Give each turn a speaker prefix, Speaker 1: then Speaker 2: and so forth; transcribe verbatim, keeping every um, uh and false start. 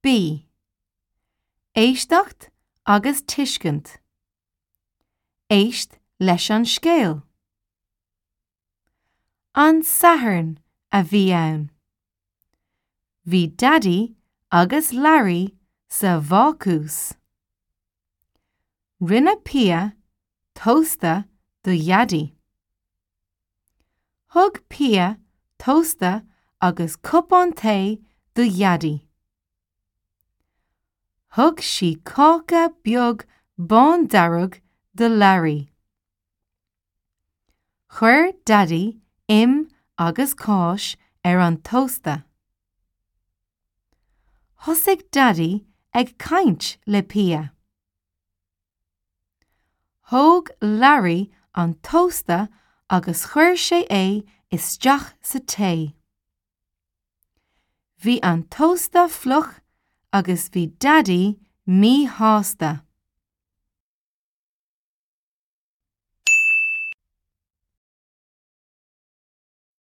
Speaker 1: B. Éisteacht agus tuiscint. Éist leis an scéal. An Satharn a bhí ann. Bhí Daidí agus Larry sa bhácús. Rinne Pia tósta do Dhaidí. Thug Pia tósta agus cupán tae do Dhaidí. Thug sí cáca beag bándearg do Larry. Chuir Daidí im agus cáis ar an tósta. Thosaigh Daidí ag caint le Pia. Thóg Larry an tósta agus chuir sé é isteach sa tae. Bhí an tósta fliuch agus bhí Daidí míshásta.